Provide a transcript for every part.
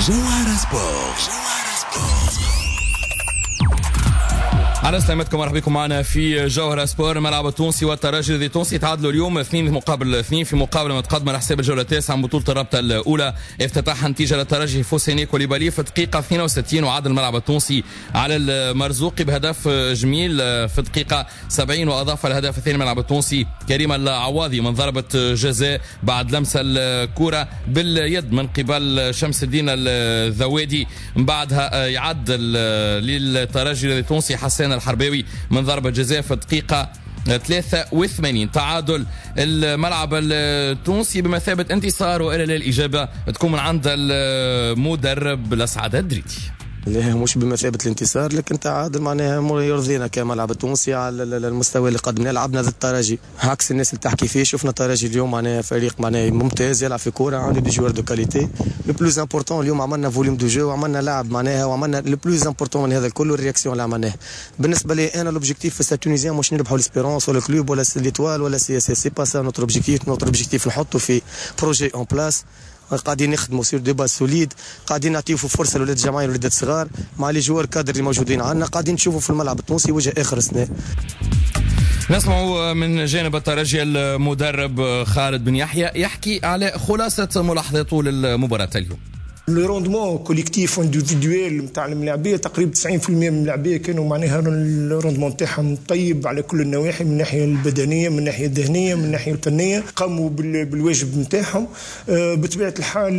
جوهرة سبور، جوهرة سبور. على سلامتكم، مرحبا بكم معنا في جوهرة سبور. الملعب التونسي والترجي التونسي تعادلوا اليوم 2-2 في مقابلة متقدمة على حساب الجولة التاسعة من بطولة الرابطة الأولى. افتتحها نتيجة للترجي فوسيني كوليبالي في الدقيقة 62، وعاد الملعب التونسي على المرزوقي بهدف جميل في الدقيقة 70، وأضاف الهدف الثاني الملعب التونسي كريم العواضي من ضربة جزاء بعد لمسة الكرة باليد من قبل شمس الدين الذوادي. من بعدها يعدل للترجي التونسي حسان الحرباوي من ضربة جزاء في الدقيقة 83. تعادل الملعب التونسي بمثابة انتصار، وإلى الإجابة تكون من عند المدرب لسعد الدريدي. لا، مش بمثابة الانتصار، لكن تعادل معناها يرضينا كملعب التونسي على المستوى اللي قدمناه. لعبنا ضد الترجي عكس الناس اللي تحكي فيه. شفنا الترجي اليوم معناها فريق معناها ممتاز، يلعب في كورة، عنده des joueurs de qualité. le plus important اليوم عملنا volume de jeu وعملنا لعب معناها، وعملنا le plus important من هذا الكل ال réaction اللي عملناه. بالنسبة لي انا l'objectif في Stade Tunisien مش نربحوا l'Espérance ولا Club ولا l'Étoile ولا CSS، c'est pas ça notre objectif. notre objectif نحطوا في projet en place، قاعدين نخدموا sur des bases solides، قاعدين نعطيو في فرصة لولاد الجمعية، ولاد الصغار مع les joueurs cadres اللي موجودين عندنا. قاعدين نشوفوا في الملعب التونسي وجه اخر سنه. نسمع من جانب الترجي المدرب خالد بن يحيى يحكي على خلاصة ملاحظاته للمباراة اليوم. le rendement collectif individuel نتاع الملاعبيه، تقريبا 90% من الملاعبيه كانوا معناها ال rendement تاعهم طيب على كل النواحي، من الناحية البدنيه، من الناحية الذهنيه، من الناحية الفنيه، قاموا بالواجب نتاعهم. بطبيعة الحال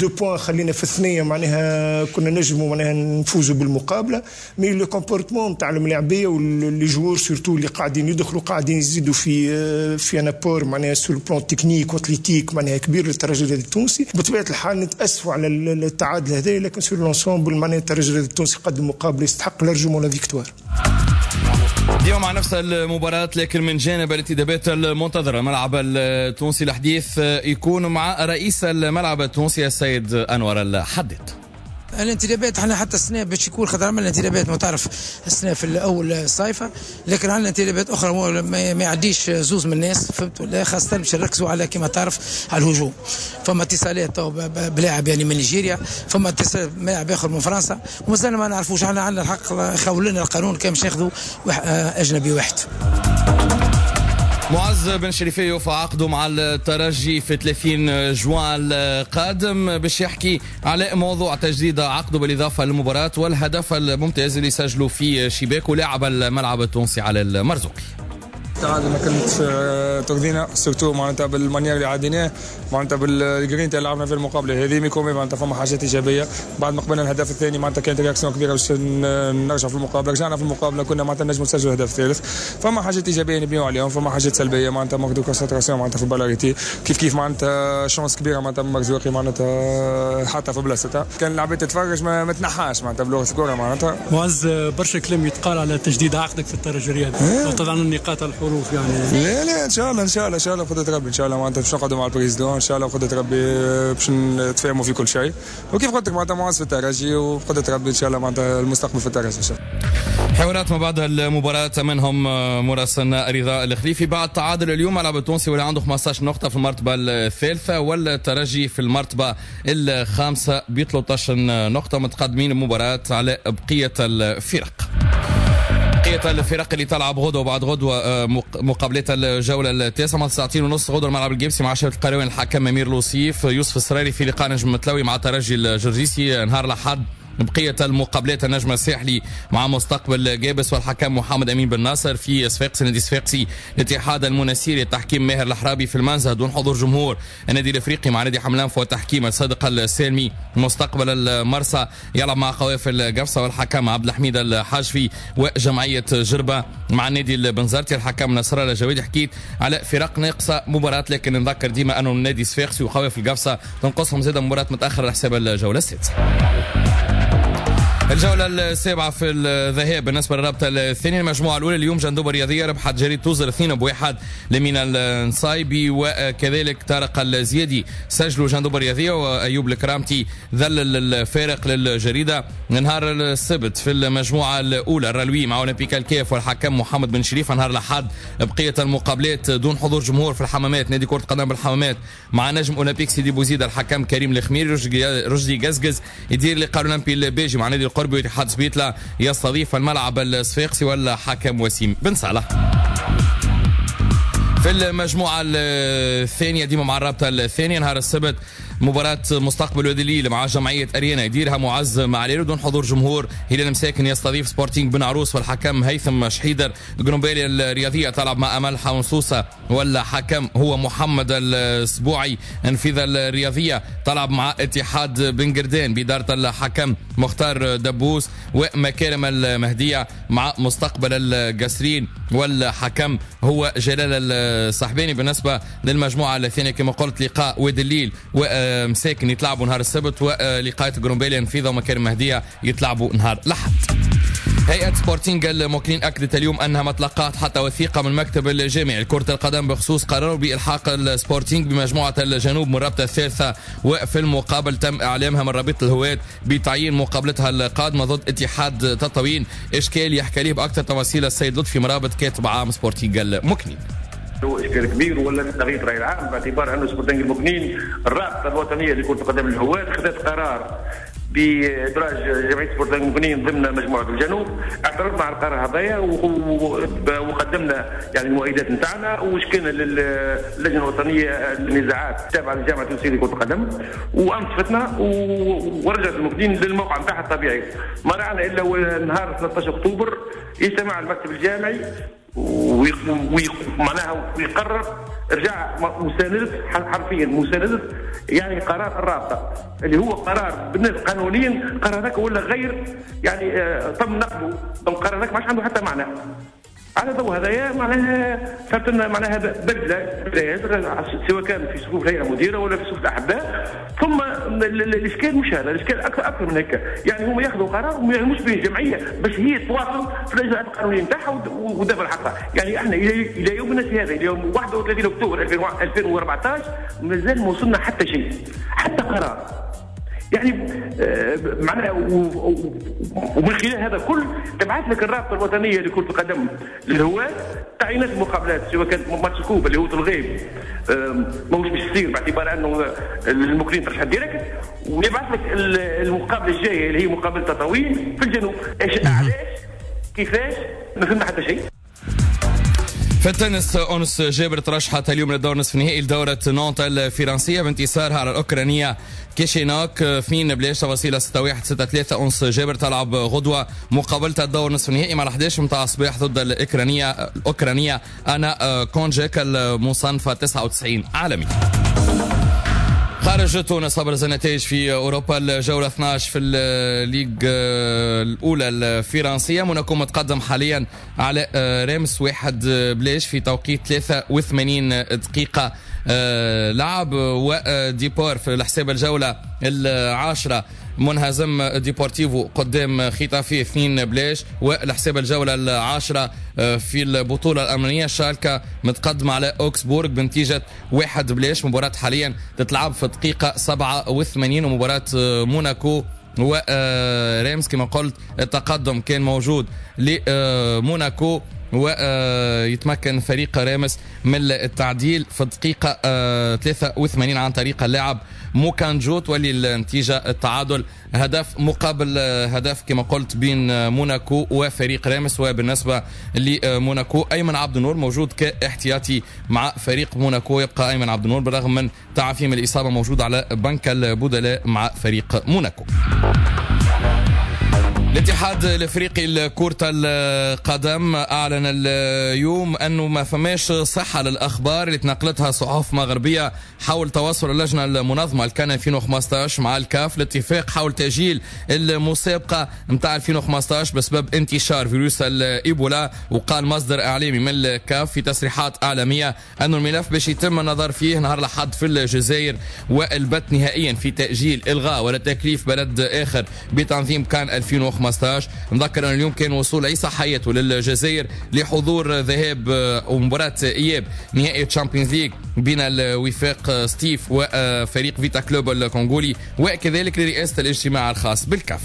deux points خلينا في الثنيه، معناها كنا نجموا معناها نفوزوا بالمقابله، mais le comportement نتاع الملاعبيه و les joueurs surtout اللي قاعدين يدخلوا، قاعدين يزيدوا في un apport معناها sur le plan technique و athlétique معناها كبير للترجي التونسي. بطبيعة الحال نتاسفوا على التعادل هذا، لكن sur l'ensemble معناها الترجي التونسي قدم مقابله يستحق largement la victoire. اليوم مع نفس المباراة لكن من جانب الانتدابات المنتظرة الملعب التونسي، الحديث يكون مع رئيس الملعب التونسي السيد أنور الحداد. الانتدابات احنا حتى السنة باش يكون خاطر عملنا انتدابات، ما تعرف السنة في الاول الصيفه، لكن عندنا انتدابات اخرى ما يعديش زوز من الناس، فهمت ولا؟ خاصة باش نركزوا على كما تعرف على الهجوم. فما اتصالات بلاعب يعني من نيجيريا، فما اتصال بلاعب اخر من فرنسا، ومازلنا ما نعرفوش. احنا عندنا الحق، خول لنا القانون كان باش ناخذوا اجنبي واحد. معز بن شريفية يوفى عقده مع الترجي في 30 جوان القادم، باش يحكي على موضوع تجديد عقده بالإضافة للمباراة والهدف الممتاز اللي سجله في شباك ولاعب الملعب التونسي على المرزوقي. التعادل ما كانتش ترضينا، surtout معناتها بال manière اللي عديناه، معناتها بالجرينتا اللي لعبنا في المقابلة هذه، mais quand même معناتها فما حاجات ايجابيه. بعد ما قبلنا الهدف الثاني معناتها كانت réaction كبيرة باش نرجع في المقابله، رجعنا في المقابله، كنا معناتها نجموا نسجلوا الهدف الثالث. فما حاجات ايجابية نبنيو عليهم، فما حاجات سلبية معناتها manque de concentration معناتها في ال balle arrêtée، كيف كيف معناتها chance كبيرة معناتها مرزوقي معناتها حتى في بلاصتها، كان العباد تتفرج ما تنحاش معناتها بلغه الكره معناتها. معز، برشا كلام يتقال على تجديد عقدك في الترجي الرياضي، وطبعا النقاط الحروف يعني. لا لا، ان شاء الله ان شاء الله ان شاء الله بقدرة ربي، ان شاء الله معناتها باش نقعدوا مع ال président، ان شاء الله بقدرة ربي باش نتفاهموا في كل شيء، وكيف قلت لك معناتها معز في الترجي، وبقدرة ربي ان شاء الله معناتها المستقبل في الترجي ان شاء الله. حوارات ما بعد المباراة منهم مراسلنا رضا الخليفي. بعد تعادل اليوم الملعب التونسي ولا عنده 15 نقطة في المرتبة الثالثة، والترجي في المرتبة الخامسة ب 13 نقطة، متقدمين المباراة على بقية الفرق. بقية الفرق اللي تلعب غدوة وبعد غدوة مقابلات الجولة التاسعة مع 9:30 غدوة الملعب القابسي مع شبيبة القيروان، الحكم أمير لوصيف. يوسف السراري في لقاء نجم متلوي مع ترجي الجرجيسي نهار الأحد. بقية المقابلات النجم الساحلي مع مستقبل قابس والحكم محمد أمين بن ناصر. في صفاقس نادي صفاقسي الاتحاد المنستيري التحكيم ماهر الحرابي. في المنزه دون حضور جمهور النادي الافريقي مع نادي حمام الأنف والتحكيم الصادق السالمي. مستقبل المرسى يلعب مع قوافل قفصة والحكم عبد الحميد الحاجفي. وجمعية جربة مع النادي البنزرتي الحكم نصر الله جوادي. حكيت على فرق ناقصة مباراة، لكن نذكر ديما أنه النادي صفاقسي وقوافل قفصة تنقصهم زادة مباراة متأخرة على حساب الجولة السادسة. الجولة السابعة في الذهاب بالنسبة للرابطة الثانية، المجموعة الأولى اليوم جندوبة الرياضية ربحت جريد توزر 2-1 لمينا النصايبي، وكذلك طارق الزيادي سجلوا جندوبة الرياضية، وأيوب الكرامتي ذلل الفارق للجريدة. نهار السبت في المجموعة الأولى الرلوي مع أولمبيك الكاف والحكم محمد بن شريف. نهار الأحد بقية المقابلات دون حضور جمهور في الحمامات، نادي كرة قدم بالحمامات مع نجم أولمبيك سيدي بوزيد الحكم كريم الخميري. رشدي قزقز يدير لقاء الأولمبي الباجي مع نادي القربي، واتحاد سبيتلا يستضيف الملعب الصفاقسي والحكم وسيم بن صالح. في المجموعة الثانية ديما مع الرابطة الثانية نهار السبت مباراة مستقبل وادي الليل مع جمعية أريانا يديرها معز معليل دون حضور جمهور. هلال مساكن يستضيف سبورتينغ بن عروس والحكم هيثم شحيدر. قرنبالي الرياضية تلعب مع أمل حونسوسة والحكم هو محمد السبوعي. انفذ الرياضية تلعب مع اتحاد بن قردان بإدارة الحكم مختار دبوس. ومكارم المهدية مع مستقبل القسرين والحكم هو جلال الصحباني. بالنسبة للمجموعة الثانية كما قلت لقاء وادي الليل ومساكن يتلعبوا نهار السبت، ولقاء قرنبالي نفيذة ومكارم مهدية يتلعبوا نهار الأحد. هيئة سبورتينغ الموكلين أكدت اليوم أنها ما تلقت حتى وثيقة من مكتب الجامعي لكرة القدم بخصوص قراره بإلحاق السبورتينغ بمجموعة الجنوب من الرابطة الثالثة، وفي المقابل تم إعلامها من رابطة الهواة بتعيين مقابلتها القادمة ضد اتحاد تطاوين. إشكال يحكي ليه بأكثر تفاصيل السيد لطفي مرابط كاتب عام سبورتينغ الموكلين. هو اشكال كبير ولا تغيير الراي العام باعتبار انه سبورتينغ المكنين الرابطة الوطنية لكرة القدم الهواة خذت قرار بادراج جمعية سبورتينغ المكنين ضمن مجموعة الجنوب. اعترضنا على القرار هذايا وقدمنا يعني المؤيدات نتاعنا وشكينا للجنة الوطنية للنزاعات التابعة للجامعة التونسية لكرة القدم وانصفتنا ورجعت المكنين للموقع نتاعها الطبيعي. ما رعنا الا نهار 13 اكتوبر يجتمع المكتب الجامعي ومعناها ويقرر ارجاع مساندة، حرفيا مساندة يعني قرار الرابطة اللي هو قرار بالنسبة قانونيا، قرار هذاك ولا غير يعني تم نقله، القرار هذاك ما عادش عنده حتى معنى. على ضوء هذايا معناها صارت لنا معناها بدله سواء كان في صفوف الهيئة المديرة ولا في صفوف الاحباء. ثم الاشكال مش هذا، الاشكال اكثر من هكا، يعني هم ياخذوا قرار وما يعلموش به الجمعية باش هي تواصل في الاجراءات القانونية نتاعها ودافع حقها. يعني احنا الى يومنا هذا، الى يوم 31 اكتوبر 2014 مازال ما وصلنا حتى شيء، حتى قرار. يعني معناها ومن خلال هذا كل تبعث لك الرابطة الوطنية لكرة القدم للهواة تعيينات المقابلات سواء كانت ماتش coupe اللي هو الغيب ماهوش باش يصير باعتبار انه المكنين ترشح direct، ويبعث لك المقابلة الجاية اللي هي مقابله تطاوين في الجنوب. ايش علاش كيفاش ما فهمنا حتى شيء. في التنس أنس جابر ترشحت اليوم للدور نصف النهائي لدورة نانت الفرنسية بانتصارها على الأوكرانية كيشينوك 2-0 تفاصيل 6-1 6-3. أنس جابر تلعب غدوة مقابلة الدور نصف النهائي مع 11 متاع الصباح ضد الأوكرانية أنا كونجيك المصنفة 99 عالمي. خارج تونس أبرز النتائج في أوروبا الجولة 12 في ال Ligue الأولى الفرنسية، موناكو متقدم حاليا على ريمس 1-0 في توقيت 83 دقيقة لعب. وديبور في الحساب الجولة العاشرة منهزم ديبورتيفو قدام خيتافي 2-0. والحساب الجولة العاشرة في البطولة الألمانية شالكا متقدم على أوكسبورغ بنتيجة 1-0. مباراة حاليا تتلعب في دقيقة 87. ومباراة موناكو وريمس كما قلت التقدم كان موجود لموناكو ويتمكن فريق رامس من التعديل في الدقيقة 83 عن طريق اللاعب موكانجو، تولي النتيجة التعادل هدف مقابل هدف كما قلت بين موناكو وفريق رامس. وبالنسبة لموناكو أيمن عبد النور موجود كاحتياطي مع فريق موناكو، يبقى أيمن عبد النور بالرغم من تعافيه من الإصابة موجود على بنك البدلاء مع فريق موناكو. الاتحاد الافريقي لكرة القدم اعلن اليوم انه ما فماش صحة للاخبار اللي تنقلتها صحف مغربية حول تواصل اللجنة المنظمة الكان 2015 مع الكاف الاتفاق حول تاجيل المسابقة نتاع 2015 بسبب انتشار فيروس الايبولا. وقال مصدر اعلامي من الكاف في تصريحات اعلامية انه الملف باش يتم النظر فيه نهار الاحد في الجزائر والبت نهائيا في تاجيل الغاء ولا تكليف بلد اخر بتنظيم كان 2015. نذكر أن اليوم كان وصول عيسى حياته للجزائر لحضور ذهاب ومباراة إياب نهائي Champions League بين الوفاق سطيف وفريق فيتا كلوب الكونغولي، وكذلك لرئاسة الاجتماع الخاص بالكاف.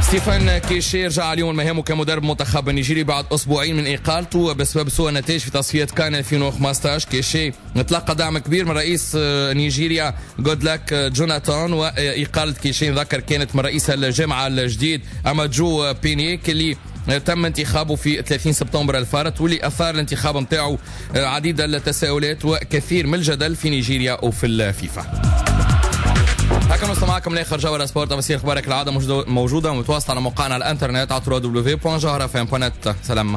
ستيفان كيشي رجع اليوم لمهامه كمدرب منتخب النيجيري بعد اسبوعين من اقالته بسبب سوء النتائج في تصفيات كان 2015. كيشي تلقى دعم كبير من رئيس نيجيريا جودلاك جوناثان، واقاله كيشي نذكر كانت من رئيس الجامعة الجديد امادجو بينيك اللي تم انتخابه في 30 سبتمبر الفارط، واللي اثار الانتخاب نتاعو عديد التساؤلات وكثير من الجدل في نيجيريا وفي الفيفا. هكا نوصل معكم لاخر جوهرة سبور. تفاصيل اخبارك العادة موجودة ومتواصله على موقعنا على الانترنت على www.jawharafm.net. سلام.